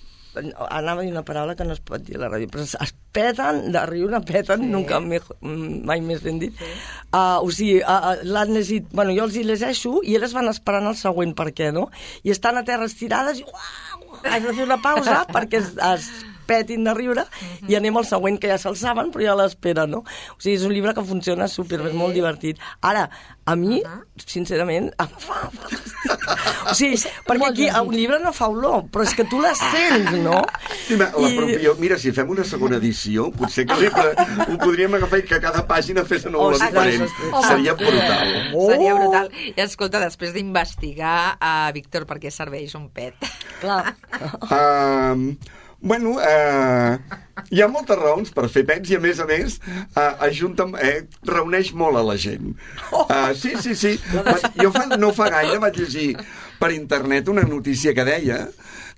anava a dir una paraula que no es pot dir a la ràdio, però es peten de riure, peten, sí. nunca me, mai més ben dit. Sí. Uh, o sigui, uh, l'han llegit, bueno, jo els hi llegeixo i elles van esperant el següent per què, no? I estan a terra estirades i uau, haig de fer una pausa perquè es, es petin de riure uh-huh. i anem al següent, que ja se'l saben, però ja l'esperen, no? O sigui, és un llibre que funciona super, sí. és molt divertit. Ara, a mi, uh-huh. sincerament, em fa fantàstic. O sigui, perquè aquí un llibre no fa olor, però és que tu la sents, no? Sí, ma, la propia, mira, si fem una segona edició, potser que ho podríem agafar i que cada pàgina fes una olor diferent. Oh, seria brutal. Oh. Seria brutal. I escolta, després d'investigar a Víctor per què serveix un pet. Clar. Um, bueno, eh, hi ha moltes raons per fer pets i, a més a més, eh, ajunta, eh, reuneix molt a la gent. Uh, sí, sí, sí. Jo fa, no fa gaire vaig llegir per internet una notícia que deia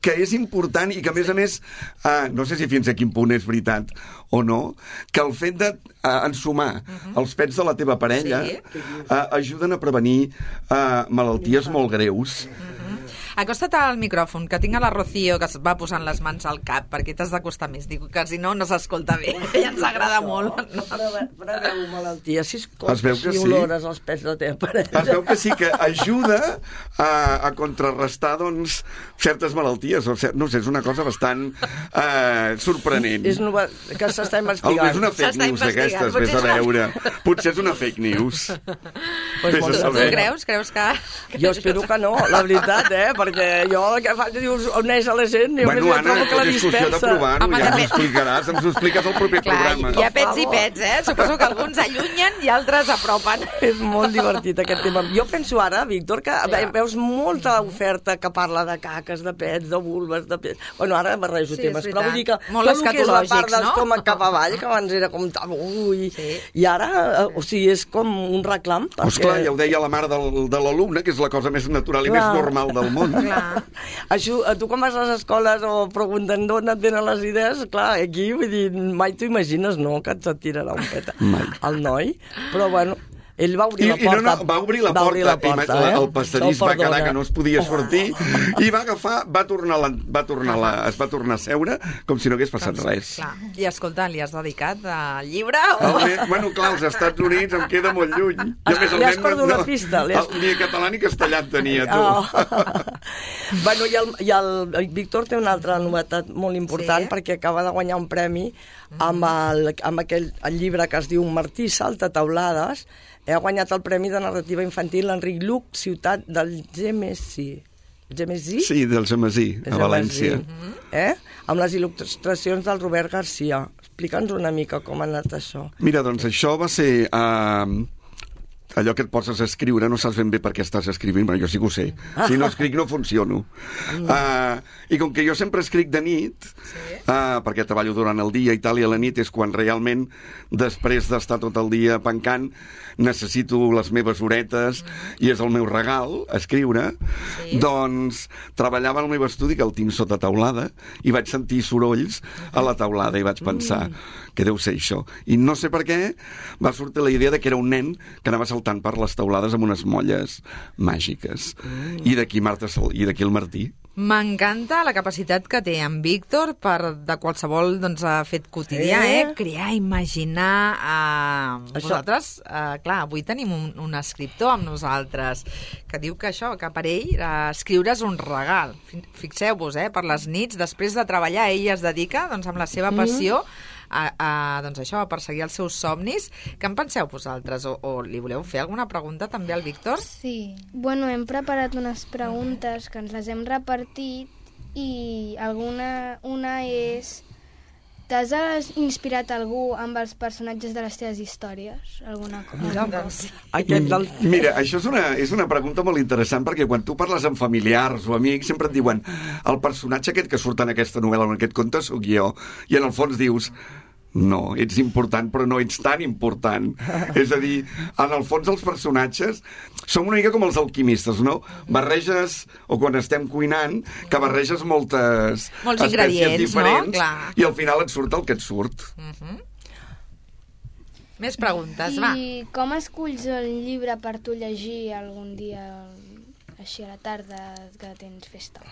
que és important i que, a més a més, eh, no sé si fins a quin punt és veritat o no, que el fet d'ensumar uh, uh-huh. els pets de la teva parella sí. eh, ajuden a prevenir eh, malalties molt greus. Uh-huh. Acosta't al micròfon, que tinc a la Rocío que es va posant les mans al cap, perquè t'has d'acostar més. Dic que si no, no s'escolta bé. Ja ens agrada molt. No? Preveu malalties, si es veu que si olores sí. els pets de la teva parella. Es veu que sí, que ajuda a, a contrarrestar, doncs, certes malalties. O cert, no sé, és una cosa bastant eh, sorprenent. És nova, que s'està investigant. És una fake news d'aquestes, vés a veure. Potser és una fake news. Pues tu, tu creus? Creus que... Jo espero que no, la veritat, eh? Perquè jo el que faig dius on és a la gent i bueno, Anna, trobo que la dispersa. De provar-ho, ja ens ho explicaràs, ens ho expliques al proper Clar, programa. Hi ha pets i pets, eh? Suposo que alguns allunyen i altres apropen. És molt divertit aquest tema. Jo penso ara, Víctor, que ja. veus molta oferta que parla de caques, de pets, de vulves, de pets... Bueno, ara barrejo sí, temes, però vull dir que molt tot el que és la part no? d'estómac cap avall, que abans era com tabú, i, sí. i ara, o sigui, és com un reclam. Perquè... Pues clar, ja ho deia la mare del, de l'alumne, que és la cosa més natural i clar. més normal del món. Clar. Això, tu quan vas a les escoles o pregunten d'on et venen les idees, clar, aquí, vull dir, mai t'ho imagines, no?, que et tirarà un pet al noi, però bueno... Ell va obrir I, la porta. I no, no, va obrir la va porta, obrir la porta eh? el passadís va quedar que no es podia sortir oh. i va agafar, va tornar, la, va tornar la, es va tornar a seure com si no hagués passat clar, res. Clar. I escolta, li has dedicat al llibre? O... El, bueno, clar, als Estats Units em queda molt lluny. Has, li has perdut no, una pista. Has... El, ni català ni castellà tenia, tu. Oh. Bueno, i el, i el, el Víctor té una altra novetat molt important, sí? Perquè acaba de guanyar un premi amb, el, amb aquell el llibre que es diu Martí salta taulades. Ha guanyat el Premi de Narrativa Infantil Enric Lluch, ciutat del Gemesí. Gemesí? Sí, del Gemesí, a València. Eh? Amb les il·lustracions del Robert Garcia. Explica'ns una mica com ha anat això. Mira, doncs això va ser... Uh, allò que et poses a escriure, no saps ben bé per què estàs escrivint, però jo sí que ho sé. Si no escric no funciono. Uh, I com que jo sempre escric de nit, uh, perquè treballo durant el dia i tal, i a la nit és quan realment, després d'estar tot el dia pencant, necessito les meves horetes i és el meu regal, escriure, sí. Doncs treballava al meu estudi, que el tinc sota taulada, i vaig sentir sorolls a la taulada i vaig pensar que deu ser això. I no sé per què va sortir la idea de que era un nen que anava saltant per les taulades amb unes molles màgiques. Mm. I d'aquí Marta Sol, i d'aquí el Martí. M'encanta la capacitat que té en Víctor per de qualsevol doncs, fet quotidià, eh? eh? Crear, imaginar... Eh... Vosaltres, eh, clar, avui tenim un, un escriptor amb nosaltres que diu que això, que per ell eh, escriure és un regal. Fixeu-vos, eh? Per les nits, després de treballar, ell es dedica doncs, amb la seva passió mm. A, a, doncs això, a perseguir els seus somnis. Què en penseu vosaltres? O, o li voleu fer alguna pregunta també al Víctor? Sí. Bueno, hem preparat unes preguntes que ens les hem repartit i alguna una és... T'has inspirat algú amb els personatges de les teves històries? Alguna cosa? Mira, del... Mira, això és una, és una pregunta molt interessant perquè quan tu parles amb familiars o amics sempre et diuen el personatge aquest que surt en aquesta novel·la o en aquest conte sóc jo, i en el fons dius no, ets important però no ets tan important. És a dir, en el fons els personatges són una mica com els alquimistes, no? Barreges, o quan estem cuinant, que barreges moltes Molts espècies diferents, no? Clar. I al final et surt el que et surt. Uh-huh. Més preguntes, I va. I com esculls el llibre per tu llegir algun dia... així a la tarda que tens festa?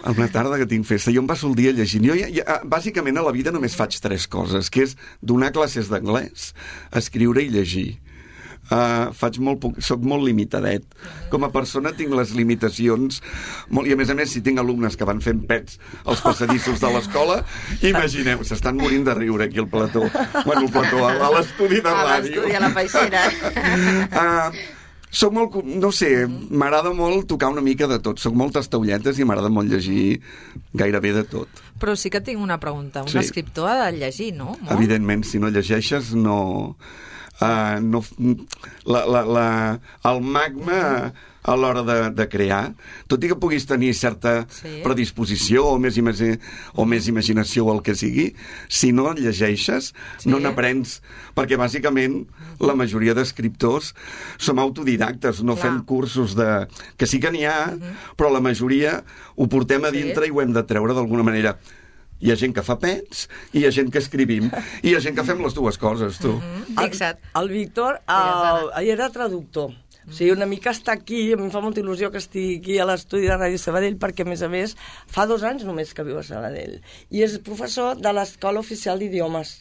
A una tarda que tinc festa. Jo em passo el dia llegint. Jo, ja, ja, bàsicament, a la vida només faig tres coses, que és donar classes d'anglès, escriure i llegir. Uh, faig molt poc, soc molt limitadet. Com a persona tinc les limitacions molt, i a més a més si tinc alumnes que van fent pets als passadissos de l'escola, imagineu, s'estan morint de riure aquí al plató. Bueno, al plató, a, a l'estudi de ràdio. A l'estudi, a la peixera. Uh, Soc molt, no sé, m'agrada molt tocar una mica de tot. Soc moltes taulletes i m'agrada molt llegir gairebé de tot. Però sí que tinc una pregunta. Un sí. escriptor ha de llegir, no? Molt? Evidentment, si no llegeixes, no... Uh, no la, la, la, el magma a l'hora de, de crear, tot i que puguis tenir certa sí. predisposició o més, imagi, o més imaginació o el que sigui, si no llegeixes sí. no n'aprens, perquè bàsicament la majoria d'escriptors som autodidactes, no Clar. fem cursos de... que sí que n'hi ha, uh-huh. però la majoria ho portem a dintre sí. i ho hem de treure d'alguna manera. Hi ha gent que fa pets i hi ha gent que escrivim i hi ha gent que fem les dues coses, tu. Mm-hmm. Fixa't. El, el Víctor uh, era traductor. O sigui, una mica està aquí, a mi em fa molta il·lusió que estigui aquí a l'estudi de Ràdio Sabadell, perquè, a més a més, fa dos anys només que viu a Sabadell. I és professor de l'Escola Oficial d'Idiomes.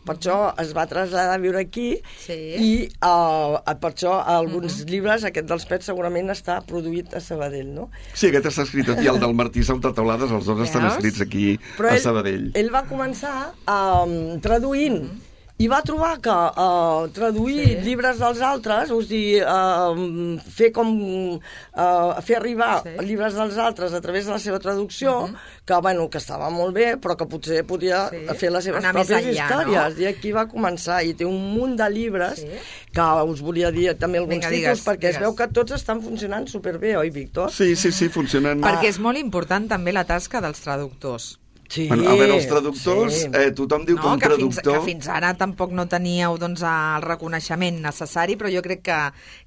Per això es va traslladar a viure aquí sí. i uh, per això alguns uh-huh. llibres, aquest dels pets segurament està produït a Sabadell, no? Sí, aquest està escrit aquí, el del Martí Salta Taulades, els dos estan escrits aquí Però a Sabadell. Ell, ell va començar um, traduint uh-huh. i va trobar que uh, traduir sí. llibres dels altres, o sigui, uh, fer com uh, fer arribar sí. llibres dels altres a través de la seva traducció, uh-huh. que, bueno, que estava molt bé, però que potser podia sí. fer les seves Anar pròpies enllà, històries. No? I aquí va començar, i té un munt de llibres sí. que us volia dir també alguns Vinga, títols, digues, perquè digues. Es veu que tots estan funcionant superbé, oi, Víctor? Sí, sí, sí, funcionen. Perquè és molt important també la tasca dels traductors. Sí, bueno, a veure, els traductors, sí. eh, tothom diu no, que un que traductor... Fins, que fins ara tampoc no teníeu doncs, el reconeixement necessari, però jo crec que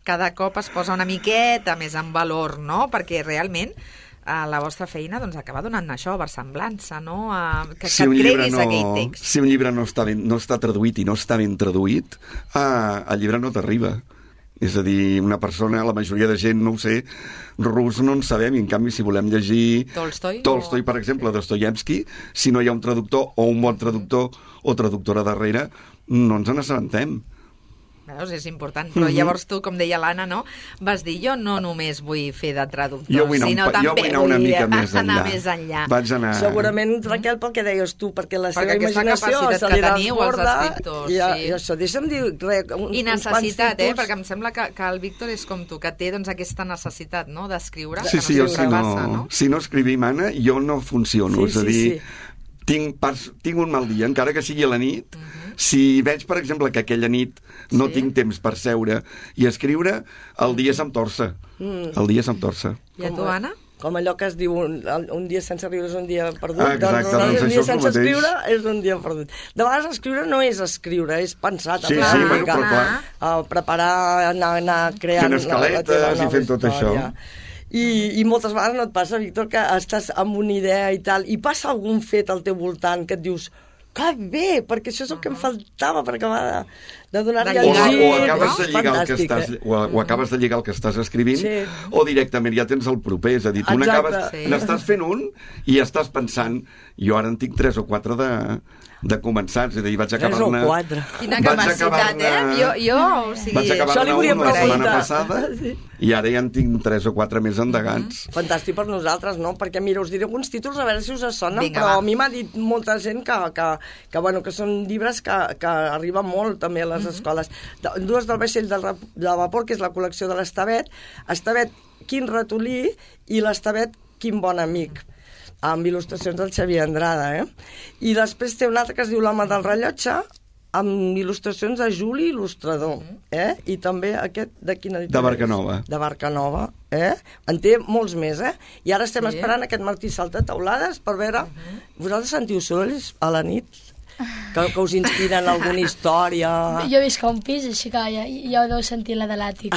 cada cop es posa una miqueta més en valor, no? Perquè realment eh, la vostra feina doncs, acaba donant això, versemblança, no? Eh, que, si que et creguis no, aquell text. Si un llibre no està, ben, no està traduït i no està ben traduït, eh, el llibre no t'arriba. És a dir, una persona, la majoria de gent, no ho sé, rus no en sabem, i en canvi si volem llegir Tolstoi, Tolstoi o... per exemple, sí. Dostoievski, si no hi ha un traductor o un bon traductor o traductora darrere, no ens n'assabentem. Veus, és important. Però Mhm. llavors tu, com deia l'Anna, no? Vas dir, jo no només vull fer de traductor, Jo vull anar, sinó un, pa- jo també vull anar una vull mica més enllà. anar més enllà. Vaig anar... Segurament, Raquel, pel que deies tu, perquè la seva Perquè aquesta imaginació capacitat se que li teniu, els desborda, escriptors, i, sí. i això, deixa'm dir res, uns, I uns quants necessitat, eh? títols. Perquè em sembla que, que el Víctor és com tu, que té doncs, aquesta necessitat, no?, d'escriure. Sí, que sí, no jo sé si què no, passa, no? si no escrivim, Anna, jo no funciono. Sí, és a sí, dir, sí. tinc, pas, tinc un mal dia, encara que sigui a la nit. Si veig, per exemple, que aquella nit no Sí. tinc temps per seure i escriure, el dia se'm torça. Mm. El dia se'm torça. I a tu, Anna? Com allò que es diu, un, un dia sense riure és un dia perdut. Ah, exacte, doncs, doncs un això dia és el sense mateix. escriure és un dia perdut. De vegades escriure no és escriure, és pensar. Sí, també, sí, una bueno, mica. però clar. Uh, preparar, anar, anar creant Fent la- la escaletes teva i nova fent tot història. això. I, I moltes vegades no et passa, Víctor, que estàs amb una idea i tal, i passa algun fet al teu voltant que et dius que bé, perquè això és el que em faltava per acabar de, de donar-li De O, el lligar, gir. o, acabes de És lligar el que fantàstic, estàs, eh? o, o acabes de lligar el que estàs escrivint, Sí. o directament ja tens el proper. És a dir, tu Exacte. n'acabes, Sí. n'estàs fent un i ja estàs pensant, jo ara en tinc tres o quatre de, de començats, és a dir, vaig Tres acabar-ne... o quatre. Quina Vaig capacitat, acabar-ne- eh? Jo, jo, o sigui... Vaig Això li acabar-ne volia un la setmana preguntar. passada Sí. i ara ja en tinc tres o quatre més endegats. Fantàstic per nosaltres, no? Perquè, mira, us diré alguns títols, a veure si us sonen, Vinga, però va. a mi m'ha dit molta gent que, que, que, bueno, que són llibres que, que arriben molt també a les escoles. De, dues del vaixell del, rap- de vapor, que és la col·lecció de l'Estavet. Estavet, quin ratolí, i l'Estavet, quin bon amic, amb il·lustracions del Xavier Andrada, eh? I després té un altre que es diu L'home del rellotge, amb il·lustracions de Juli Il·lustrador, eh? I també aquest, de quina editorial? De Barcanova. De Barcanova, eh? En té molts més, eh? I ara estem Sí. esperant aquest Martí Saltateulades per veure... Vosaltres sentiu sorolls a la nit? Que, que us inspiren alguna història? Jo visc a un pis, així que ja, ja ho deu sentir la de l'àtic.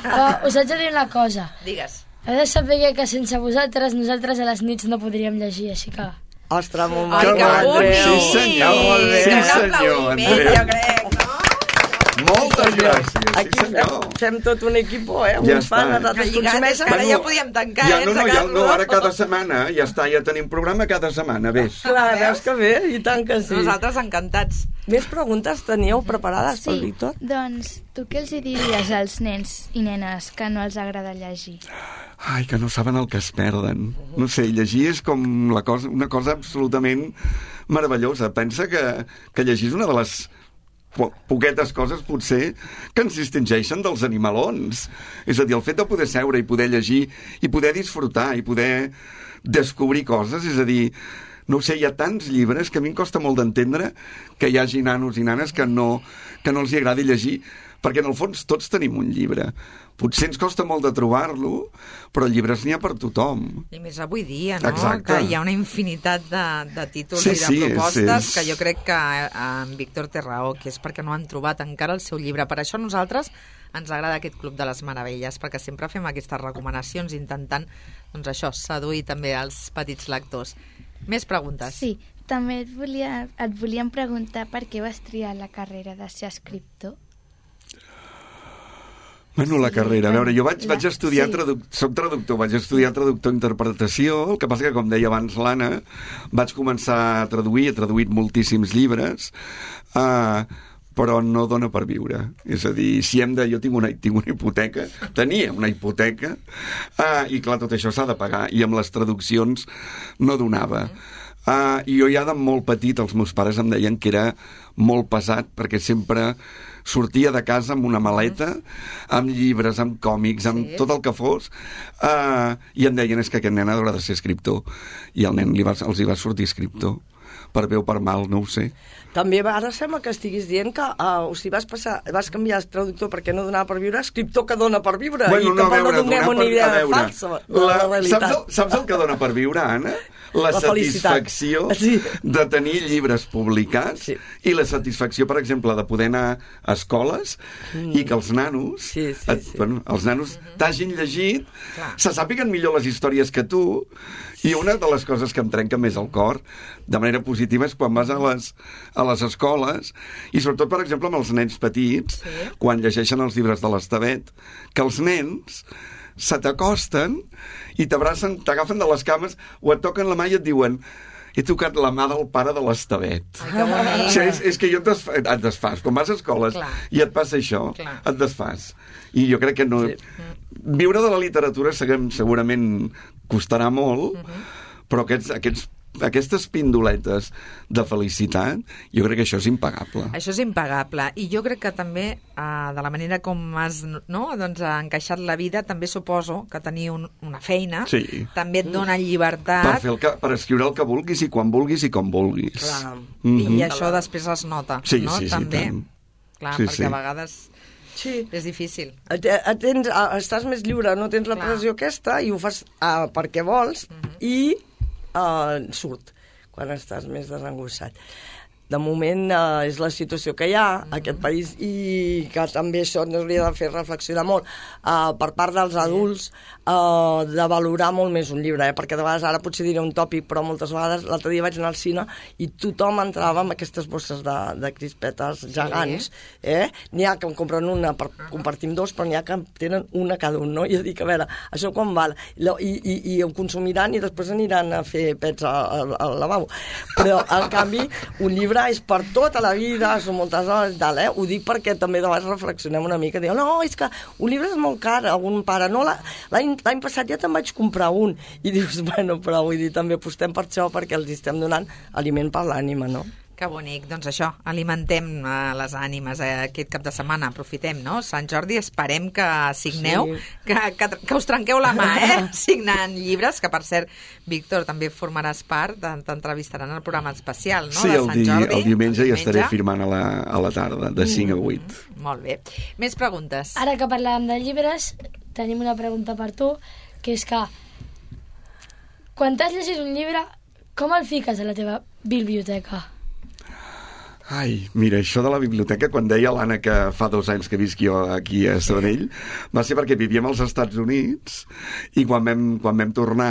Però us haig de dir una cosa. Digues. Heu de saber que sense vosaltres, nosaltres a les nits no podríem llegir, així que... Ostres, molt Ai, maco, que Andreu. bonic! Sí, senyor. Molt bé. Sí, Un senyor, aplaudiment, Andreu. jo crec, no? Moltes gràcies, sí Aquí fem, senyor. fem tot un equip, eh? Ja Uns fan, està. nosaltres Lligat, és consumeixen. que ara Bueno, ja podíem tancar, ja, eh, no, no, ja, encegar-lo. no, ara cada setmana, ja està, ja tenim programa cada setmana, ves. Clar, veus que bé? I tant que sí. Nosaltres encantats. Més preguntes teníeu preparades pel Sí, Víctor? doncs tu què els hi diries als nens i nenes que no els agrada llegir? Ai, que no saben el que es perden. No sé, llegir és com la cosa, una cosa absolutament meravellosa. Pensa que, que llegir és una de les po poquetes coses, potser, que ens distingeixen dels animalons. És a dir, el fet de poder seure i poder llegir i poder disfrutar i poder descobrir coses, és a dir, no ho sé, hi ha tants llibres que a mi em costa molt d'entendre que hi hagi nanos i nanes que no, que no els hi agradi llegir, perquè en el fons tots tenim un llibre. Potser ens costa molt de trobar-lo, però llibres n'hi ha per tothom. I més avui dia, no? Exacte. Que hi ha una infinitat de, de títols Sí, i de sí, és- propostes és- que jo crec que eh, en Víctor té raó, que és perquè no han trobat encara el seu llibre. Per això a nosaltres ens agrada aquest Club de les Meravelles, perquè sempre fem aquestes recomanacions intentant, doncs això, seduir també els petits lectors. Més preguntes? Sí, també et, volia, et volíem preguntar per què vas triar la carrera de ser escriptor. Bueno, la carrera. A veure, jo vaig, La- vaig estudiar, sí. traduc... soc traductor, vaig estudiar traductor-interpretació, el que passa que, com deia abans l'Anna, vaig començar a traduir, he traduït moltíssims llibres, uh, però no dona per viure. És a dir, si hem de... Jo tinc una, tinc una hipoteca, tenia una hipoteca, uh, i clar, tot això s'ha de pagar, i amb les traduccions no donava. Uh, I jo ja de molt petit, els meus pares em deien que era molt pesat, perquè sempre sortia de casa amb una maleta, amb llibres, amb còmics, amb Sí. tot el que fos, uh, i em deien és que aquest nen haurà de ser escriptor. I el nen li va, els hi va sortir escriptor. Per bé o per mal, no ho sé. També va- ara sembla que estiguis dient que uh, o sigui, vas, passar, vas canviar el traductor perquè no donava per viure, escriptor que dona per viure, i no, tampoc a veure, no donem donar una per- idea a veure, falsa de la, la, realitat. saps, el, saps el que dona per viure, Anna? La, La felicitat. satisfacció Sí. de tenir llibres publicats Sí. i la satisfacció, per exemple, de poder anar a escoles mm. i que els nanos, Sí, sí, et, sí. bueno, els nanos t'hagin llegit, Clar. se sàpiguen millor les històries que tu, i una de les coses que em trenca més el cor de manera positiva és quan vas a les, a les escoles, i sobretot, per exemple, amb els nens petits, Sí. quan llegeixen els llibres de l'Estavet, que els nens se t'acosten i t'abracen, t'agafen de les cames o et toquen la mà i et diuen he tocat la mà del pare de l'Estevet. Ai, que bonic. O sigui, és, és que jo et, desfa, et desfàs. Quan vas a escoles Clar. i et passa això, Clar. et desfàs. I jo crec que no... Sí. Viure de la literatura segurament costarà molt, Uh-huh. però aquests, aquests aquestes pindoletes de felicitat, jo crec que això és impagable. Això és impagable. I jo crec que també, eh, de la manera com has no, doncs, encaixat la vida, també suposo que tenir un, una feina Sí. també et dona llibertat. Per, fer el que, per escriure el que vulguis i quan vulguis i com vulguis. Clar. Mhm. I això després es nota, Sí, no? sí, sí, també. tant. Clar, Sí, perquè sí. a vegades Sí. és difícil. Et, et tens, a- estàs més lliure, no tens la Clar. pressió aquesta i ho fas uh, perquè vols i uh, surt quan estàs més desangossat. De moment uh, és la situació que hi ha a aquest país i que també això ens hauria de fer reflexionar molt uh, per part dels adults uh, de valorar molt més un llibre, eh? Perquè de vegades ara potser diré un tòpic, però moltes vegades l'altre dia vaig anar al cine i tothom entrava amb aquestes bosses de, de crispetes gegants, eh? N'hi ha que en compren una per compartir amb dos, però n'hi ha que en tenen una cada un, no? I jo dic, a veure, això quan val? I, i, i ho consumiran i després aniran a fer pets al, al lavabo. Però, en canvi, un llibre és per tota la vida, són moltes hores, tal, eh? Ho dic perquè també de vegades reflexionem una mica, diu, no, és que un llibre és molt car, algun pare, no, l'any passat ja te'n vaig comprar un, i dius, bueno, però vull dir, també apostem per això perquè els estem donant aliment per l'ànima, no? Que bonic. Doncs això, alimentem uh, les ànimes eh, aquest cap de setmana, aprofitem, no? Sant Jordi, esperem que signeu, Sí. que, que, que us trenqueu la mà, eh? Signant llibres, que per cert, Víctor, també formaràs part, t'entrevistaran al programa especial, no? Sí, de el, Sant di, Jordi. el diumenge ja estaré firmant a la, a la tarda, de cinc a vuit. Molt bé. Més preguntes? Ara que parlàvem de llibres, tenim una pregunta per tu, que és que quan t'has llegit un llibre, com el fiques a la teva biblioteca? Ai, mira, això de la biblioteca, quan deia l'Anna que fa dos anys que visc jo aquí a Sabadell, va ser perquè vivíem als Estats Units i quan vam, quan vam tornar,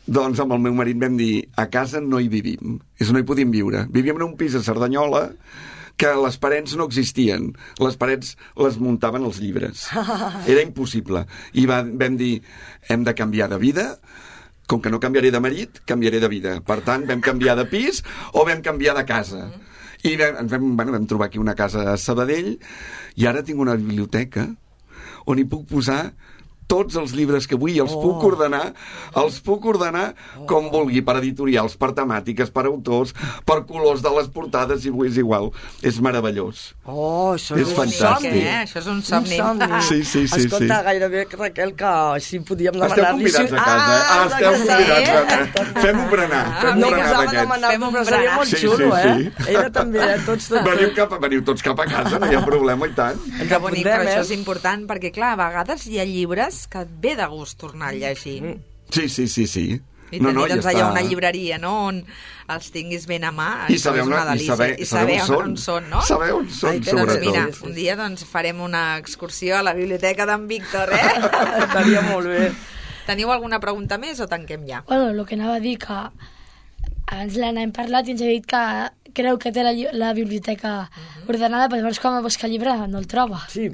doncs amb el meu marit vam dir, a casa no hi vivim, és no hi podíem viure. Vivíem en un pis a Cerdanyola que les parets no existien, les parets les muntaven els llibres. Era impossible. I va, vam dir, hem de canviar de vida, com que no canviaré de marit, canviaré de vida. Per tant, vam canviar de pis o vam canviar de casa. I vam, ens vam, bueno, vam trobar aquí una casa a Sabadell i ara tinc una biblioteca on hi puc posar tots els llibres que vull i els oh. puc ordenar els puc ordenar oh. com vulgui, per editorials, per temàtiques, per autors, per colors de les portades, i és igual. És meravellós. Oh, això és, és un fantàstic. somni. Eh? Això és un somni. Un somni. Sí, sí, sí, Escolta, sí. gairebé, Raquel, que si podíem Esteu demanar-li... convidats a casa, eh? Ah, esteu convidats a casa. Fem-ho berenar. Ah, Fem-ho No berenar posava d'aquests. demanar, Fem un però seria berenar. molt Sí, xulo, sí, sí. eh? Ella també, eh? Tots, tots. Veniu, cap, veniu tots cap a casa, no hi ha problema, i tant. Ens Que bonic, però apuntem, això eh? és important, perquè, clar, a vegades hi ha llibres que et ve de gust tornar a llegir. Sí, sí, sí, sí. I tenir, doncs, allà una llibreria, no?, on els tinguis ben a mà. I això saber, és una una, i delícia. saber, I saber saber on, on són, no? Saber on són, Ai, que Doncs sobretot. mira, Sí, sí. un dia doncs, farem una excursió a la biblioteca d'en Víctor, eh? Estaria molt bé. Teniu alguna pregunta més o tanquem ja? Bueno, el que anava a dir que abans l'Anna hem parlat i ens ha dit que creu que té la, lli- la biblioteca ordenada, però llavors quan va buscar el llibre no el troba. Sí,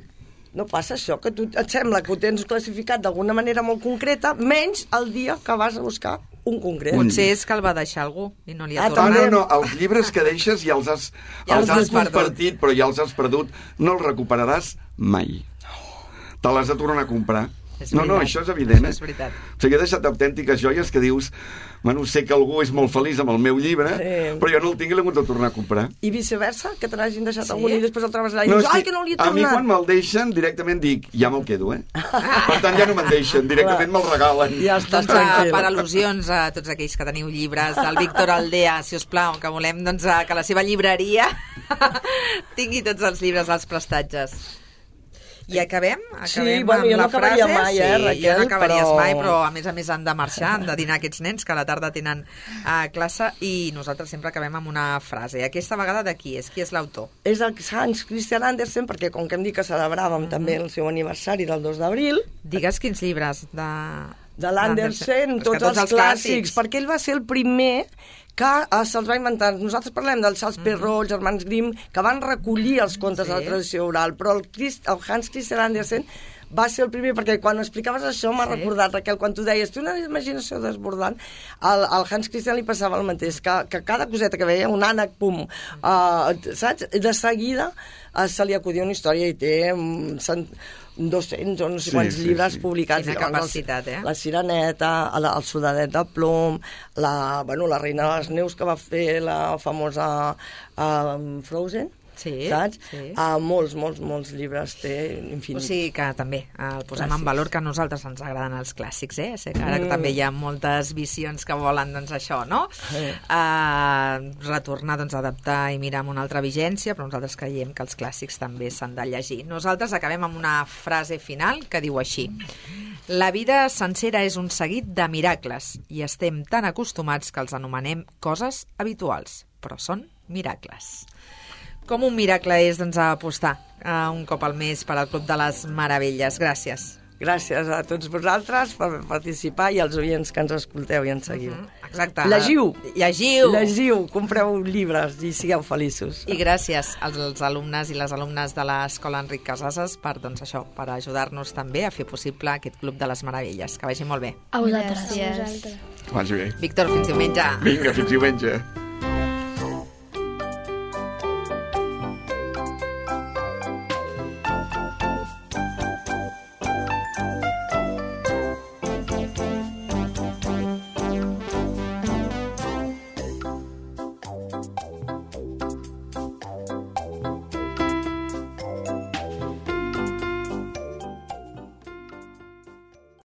no passa això, que tu et sembla que ho tens classificat d'alguna manera molt concreta, menys el dia que vas a buscar un concret. Potser és que el va deixar algú i no li ha Ah, Ah, tornat. no, no, els llibres que deixes ja els has, Ja els els has has perdut. compartit, però ja els has perdut. No els recuperaràs mai. Te l'has de tornar a comprar. És No, no, veritat. això és evident. Això és veritat. O sigui, he deixat autèntiques joies que dius, bueno, sé que algú és molt feliç amb el meu llibre, Sí. però jo no el tinc i l'he hagut de tornar a comprar. I viceversa, que te n'hagin deixat Sí? algun i després el trobes allà i No, dius, és ai, que no li he a mi tornat. quan me'l deixen directament dic, ja me'l quedo, eh? Per tant, ja no me'n deixen, directament me'l regalen. Ja estàs Doncs, eh, tranquil. per al·lusions a tots aquells que teniu llibres del Víctor Aldea, si us plau, que volem doncs, eh, que la seva llibreria tingui tots els llibres als prestatges. I acabem? Acabem Sí, bueno, amb jo no la acabaria frase? mai, eh, sí, Raquel, jo no acabaries però- mai, però a més a més han de marxar, han de dinar aquests nens que a la tarda tenen uh, classe i nosaltres sempre acabem amb una frase. Aquesta vegada de qui és? Qui és l'autor? És el Hans Christian Andersen, perquè com que hem dit que celebràvem mm-hmm. també el seu aniversari del dos d'abril, Digues quins llibres de... de l'Andersen, És que tots, els clàssics, perquè ell va ser el primer que eh, se'ls va inventar. Nosaltres parlem del Charles Perrault, els germans Grimm, que van recollir els contes Sí. de la tradició oral, però el, Christ, el Hans Christian Andersen va ser el primer, perquè quan explicaves això m'ha Sí. recordat, Raquel, quan tu deies, té una imaginació desbordant, al, al Hans Christian li passava el mateix, que, que cada coseta que veia, un ànec, pum, uh, saps? De seguida uh, se li acudia una història i té um, cent, dos-cents o no sé Sí, quants sí, llibres sí. publicats. Quina Llavors, capacitat, eh? La Sireneta, el, el Soldadet de Plom, la, bueno, la Reina de les Neus, que va fer la famosa uh, Frozen, Sí, saps? sí. Uh, molts, molts, molts llibres té, O infinits. sigui que també eh, el posem en Clàssics. valor, que a nosaltres ens agraden els clàssics, eh? Sé que ara Mm. també hi ha moltes visions que volen, doncs, això, no? Sí. Uh, retornar, doncs, a adaptar i mirar amb una altra vigència, però nosaltres creiem que els clàssics també s'han de llegir. Nosaltres acabem amb una frase final que diu així: la vida sencera és un seguit de miracles i estem tan acostumats que els anomenem coses habituals, però són miracles. Com un miracle és, doncs, apostar uh, un cop al mes per al Club de les Meravelles. Gràcies. Gràcies a tots vosaltres per participar i als oients que ens escolteu i ens seguiu. Mm, exacte. Llegiu. Llegiu. Llegiu, compreu llibres i sigueu feliços. I gràcies als, als alumnes i les alumnes de l'Escola Enric Casases per, doncs, això, per ajudar-nos també a fer possible aquest Club de les Meravelles. Que vagi molt bé. A vosaltres. Gràcies. Ah, Vagi bé. Víctor, fins diumenge. Vinga, fins diumenge.